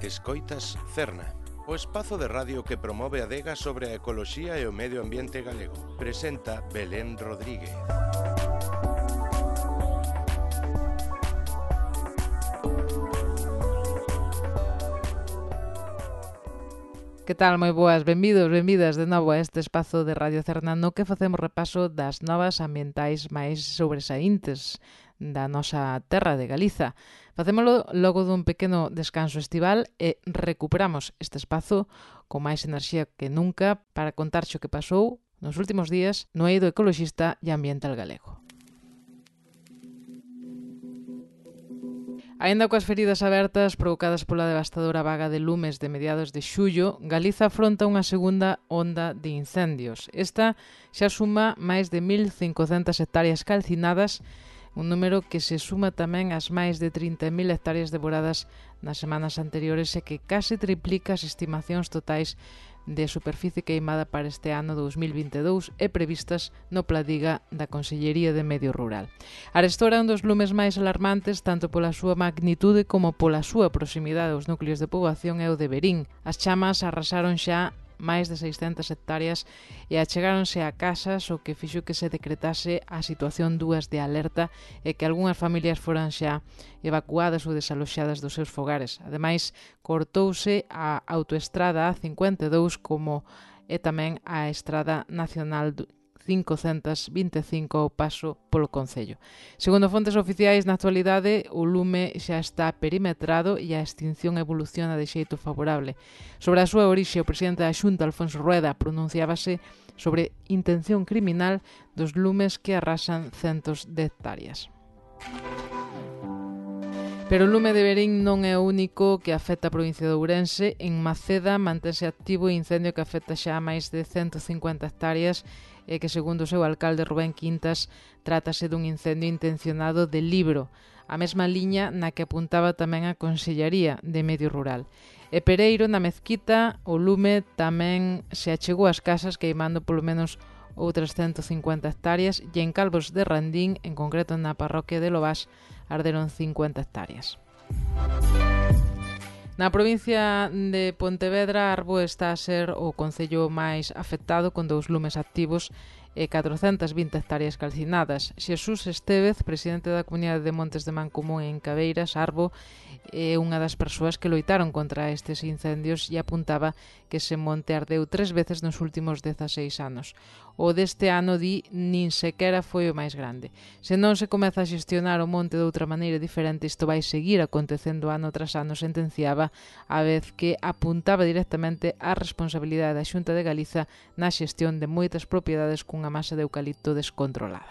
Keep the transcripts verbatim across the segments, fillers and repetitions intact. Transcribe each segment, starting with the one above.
Escoitas Cerna, o espazo de radio que promove a adega sobre a ecoloxía e o medio ambiente galego. Presenta Belén Rodríguez. Que tal? Moi boas, benvidos, benvidas de novo a este espazo de Radio Cerna no que facemos repaso das novas ambientais máis sobresaíntes da nosa terra de Galiza. Facémolo logo dun pequeno descanso estival e recuperamos este espazo con máis enerxía que nunca para contarche o que pasou nos últimos días no eido ecoloxista e ambiental galego. Aínda coas feridas abertas provocadas pola devastadora vaga de lumes de mediados de xullo, Galiza afronta unha segunda onda de incendios. Esta xa suma máis de mil cincocentas hectáreas calcinadas, un número que se suma tamén ás máis de trinta mil hectáreas devoradas nas semanas anteriores e que case triplica as estimacións totais de superficie queimada para este ano dous mil vinte e dous e previstas no Pladiga da Consellería de Medio Rural. Arestora é un dos lumes máis alarmantes tanto pola súa magnitude como pola súa proximidade aos núcleos de poboación e o de Verín. As chamas arrasaron xa máis de seiscentas hectáreas e achegáronse a casas o que fixo que se decretase a situación dúas de alerta e que algunhas familias foran xa evacuadas ou desaloxadas dos seus fogares. Ademais, cortouse a autoestrada A cincuenta e dous como e tamén a Estrada Nacional quinhentos e vinte e cinco ao paso polo concello. Segundo fontes oficiais, na actualidade o lume xa está perimetrado e a extinción evoluciona de xeito favorable. Sobre a súa orixe, o presidente da Xunta, Alfonso Rueda, pronunciábase sobre intención criminal dos lumes que arrasan centos de hectáreas. Pero o lume de Verín non é o único que afecta a provincia de Ourense. En Maceda mantense activo o incendio que afecta xa a máis de ciento cincuenta hectáreas e que, segundo o seu alcalde Rubén Quintas, trátase dun incendio intencionado de libro, a mesma liña na que apuntaba tamén a Consellería de Medio Rural. E Pereiro, na Mezquita, o lume tamén se achegou ás casas queimando polo menos outras ciento cincuenta hectáreas e en Calvos de Randín, en concreto na parroquia de Lobás, arderon cincuenta hectáreas. Na provincia de Pontevedra, Arbo está a ser o concello máis afectado con dous lumes activos e catrocentas vinte hectáreas calcinadas. Xesús Estévez, presidente da Comunidade de Montes de Mancomún en Cabeiras, Arbo, é unha das persoas que loitaron contra estes incendios e apuntaba que ese monte ardeu tres veces nos últimos dezaseis anos. O deste ano, di, nin sequera foi o máis grande. Se non se comeza a xestionar o monte de outra maneira diferente, isto vai seguir acontecendo ano tras ano, sentenciaba, a vez que apuntaba directamente á responsabilidade da Xunta de Galiza na xestión de moitas propiedades cunha masa de eucalipto descontrolada.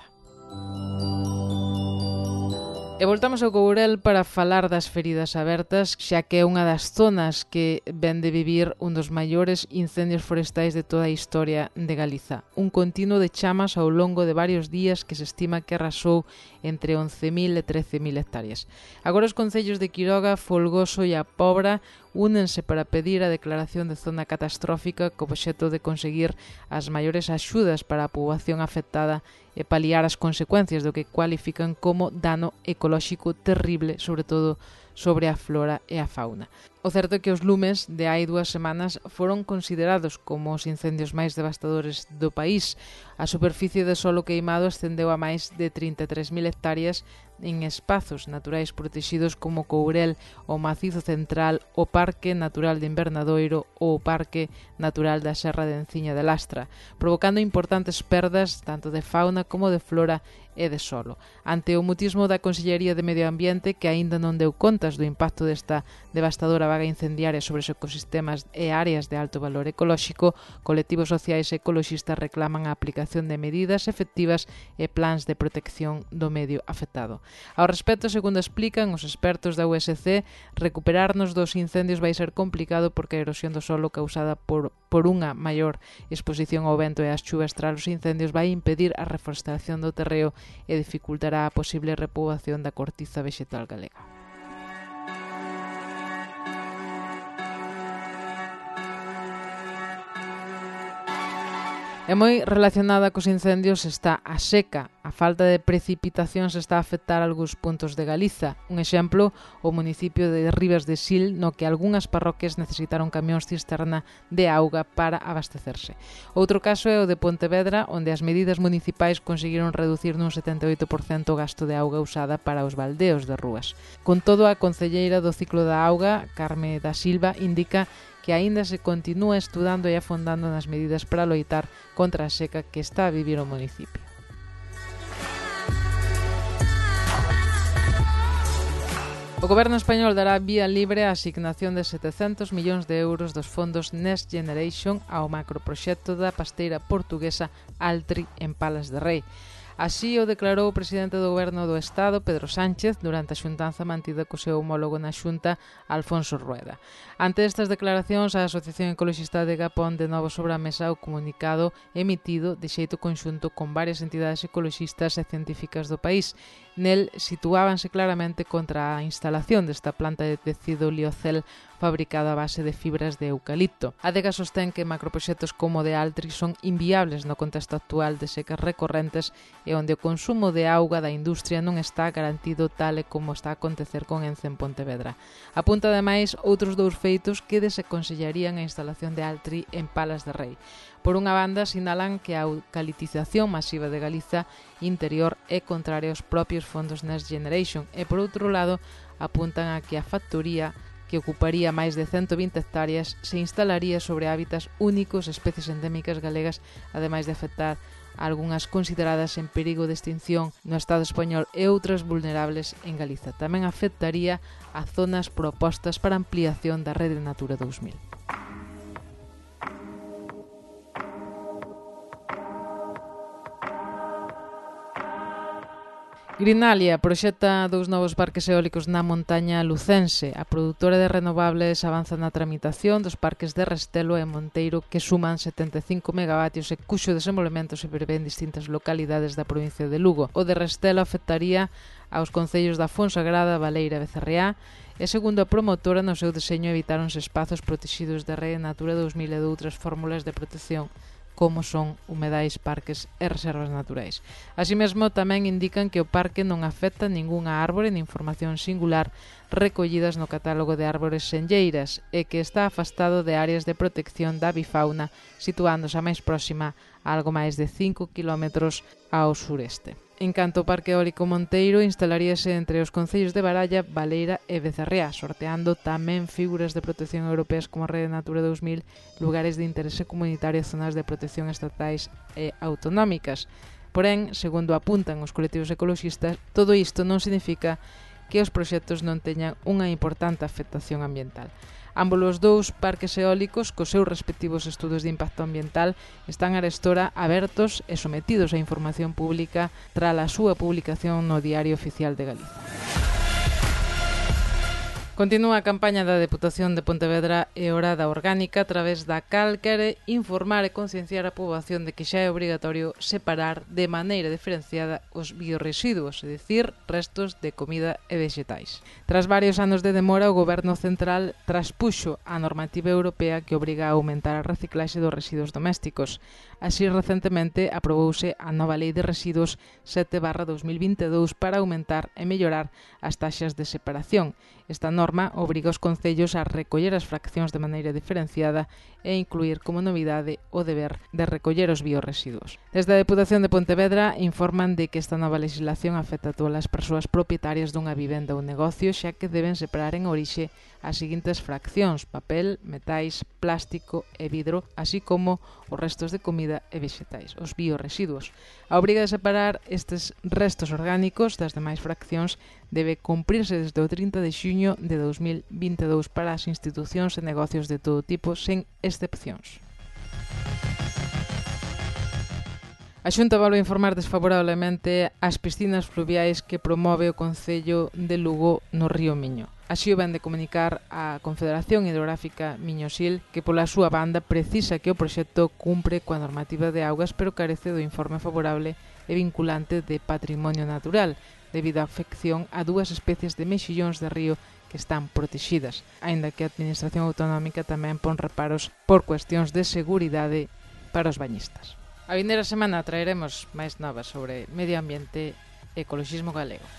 E voltamos ao Courel para falar das feridas abertas, xa que é unha das zonas que ven de vivir un dos maiores incendios forestais de toda a historia de Galiza. Un continuo de chamas ao longo de varios días que se estima que arrasou entre once mil e trece mil hectáreas. Agora os concellos de Quiroga, Folgoso e A Pobra únense para pedir a declaración de zona catastrófica co obxecto de conseguir as maiores axudas para a poboación afectada e paliar as consecuencias do que cualifican como dano ecolóxico terrible, sobre todo sobre a flora e a fauna. O certo é que os lumes de hai dúas semanas foron considerados como os incendios máis devastadores do país. A superficie de solo queimado ascendeu a máis de trinta e tres mil hectáreas en espazos naturais protegidos como Courel, o Macizo Central, o Parque Natural de Invernadoiro ou o Parque Natural da Serra de Enciña de Lastra, provocando importantes perdas tanto de fauna como de flora e de solo. Ante o mutismo da Consellería de Medio Ambiente, que aínda non deu contas do impacto desta devastadora vaga incendiaria sobre os ecosistemas e áreas de alto valor ecolóxico, colectivos sociais e ecoloxistas reclaman a aplicación de medidas efectivas e plans de protección do medio afectado. Ao respecto, segundo explican os expertos da U S C, recuperarnos dos incendios vai ser complicado porque a erosión do solo causada por, por unha maior exposición ao vento e ás chuvas tras os incendios vai impedir a reforestación do terreo e dificultará a posible repoboación da cortiza vexetal galega. E moi relacionada cos incendios está a seca. A falta de precipitacións está a afectar algúns puntos de Galiza. Un exemplo, o municipio de Ribas de Sil, no que algunhas parroquias necesitaron camións cisterna de auga para abastecerse. Outro caso é o de Pontevedra, onde as medidas municipais conseguiron reducir nun setenta e oito por cento o gasto de auga usada para os baldeos de rúas. Con todo, a concelleira do ciclo da auga, Carme da Silva, indica que aínda se continúa estudando e afondando nas medidas para loitar contra a seca que está a vivir o municipio. O Goberno español dará vía libre a asignación de setecentos millóns de euros dos fondos Next Generation ao macroproxecto da pasteira portuguesa Altri en Palas de Rei. Así o declarou o presidente do Goberno do Estado, Pedro Sánchez, durante a xuntanza mantida co seu homólogo na Xunta, Alfonso Rueda. Ante estas declaracións, a Asociación Ecoloxista de Gapón de novo sobre a mesa o comunicado emitido de xeito conxunto con varias entidades ecoloxistas e científicas do país. Nel situábanse claramente contra a instalación desta planta de tecido liocel fabricada a base de fibras de eucalipto. A Adega sostén que macroproxectos como o de Altri son inviables no contexto actual de secas recorrentes e onde o consumo de auga da industria non está garantido tal e como está a acontecer con Ence en Pontevedra. Apunta ademais outros dous feitos que desaconsellarían a instalación de Altri en Palas de Rei. Por unha banda, sinalan que a eucaliptización masiva de Galiza interior é contraria aos propios fondos Next Generation e, por outro lado, apuntan a que a factoría, que ocuparía máis de cento vinte hectáreas, se instalaría sobre hábitats únicos, especies endémicas galegas, ademais de afectar algunhas consideradas en perigo de extinción no Estado español e outras vulnerables en Galiza. Tamén afectaría a zonas propostas para ampliación da Rede Natura dous mil. Greenalia proxecta dous novos parques eólicos na montaña lucense. A produtora de renovables avanza na tramitación dos parques de Restelo e Monteiro que suman setenta e cinco megavatios e cuxo desenvolvemento se prevé en distintas localidades da provincia de Lugo. O de Restelo afectaría aos concellos da Fonsagrada, Baleira e Becerreá e, segundo a promotora, no seu deseño evitáronse espazos protegidos da Rede Natura dous mil e de outras fórmulas de protección como son humedais, parques e reservas naturais. Así mesmo, tamén indican que o parque non afecta ningunha árbore nin formación singular recollidas no catálogo de árbores senlleiras e que está afastado de áreas de protección da avifauna, situándose a máis próxima a algo máis de cinco quilómetros ao sureste. En canto ao Parque Eólico Monteiro, instalaríase entre os concellos de Baralla, Baleira e Becerreá, sorteando tamén figuras de protección europeas como a Rede Natura dous mil, lugares de interese comunitario e zonas de protección estatais e autonómicas. Porén, segundo apuntan os colectivos ecoloxistas, todo isto non significa que os proxectos non teñan unha importante afectación ambiental. Ambos os dous parques eólicos, cos seus respectivos estudos de impacto ambiental, están arestora abertos e sometidos á información pública tras a súa publicación no Diario Oficial de Galiza. Continúa a campaña da Deputación de Pontevedra e Orada Orgánica a través da cal quere informar e concienciar a poboación de que xa é obrigatorio separar de maneira diferenciada os biorresiduos, é dicir, restos de comida e vexetais. Tras varios anos de demora, o Goberno Central traspuxo a normativa europea que obriga a aumentar a reciclaxe dos residuos domésticos. Así, recentemente, aprobouse a nova Lei de Residuos sete barra dos mil vinte e dous para aumentar e mellorar as taxas de separación. Esta norma obriga os concellos a recoller as fraccións de maneira diferenciada e incluir como novidade o deber de recoller os biorresiduos. Desde a Deputación de Pontevedra informan de que esta nova legislación afecta a todas as persoas propietarias dunha vivenda ou negocio, xa que deben separar en orixe as seguintes fraccións: papel, metais, plástico e vidro, así como os restos de comida e vexetais, os biorresiduos. A obriga de separar estes restos orgánicos das demais fraccións debe cumprirse desde o trinta de xuño de dos mil vinte e dous para as institucións e negocios de todo tipo, sen excepcións. A Xunta volve a informar desfavorablemente as piscinas fluviais que promove o Concello de Lugo no río Miño. Así o ven de comunicar a Confederación Hidrográfica Miñosil, que pola súa banda precisa que o proxecto cumpre coa normativa de augas, pero carece do informe favorable e vinculante de patrimonio natural, debido á afección a dúas especies de mexillóns de río que están protegidas, aínda que a Administración Autonómica tamén pon reparos por cuestións de seguridade para os bañistas. A vindeira semana traeremos máis novas sobre medio ambiente e ecoloxismo galego.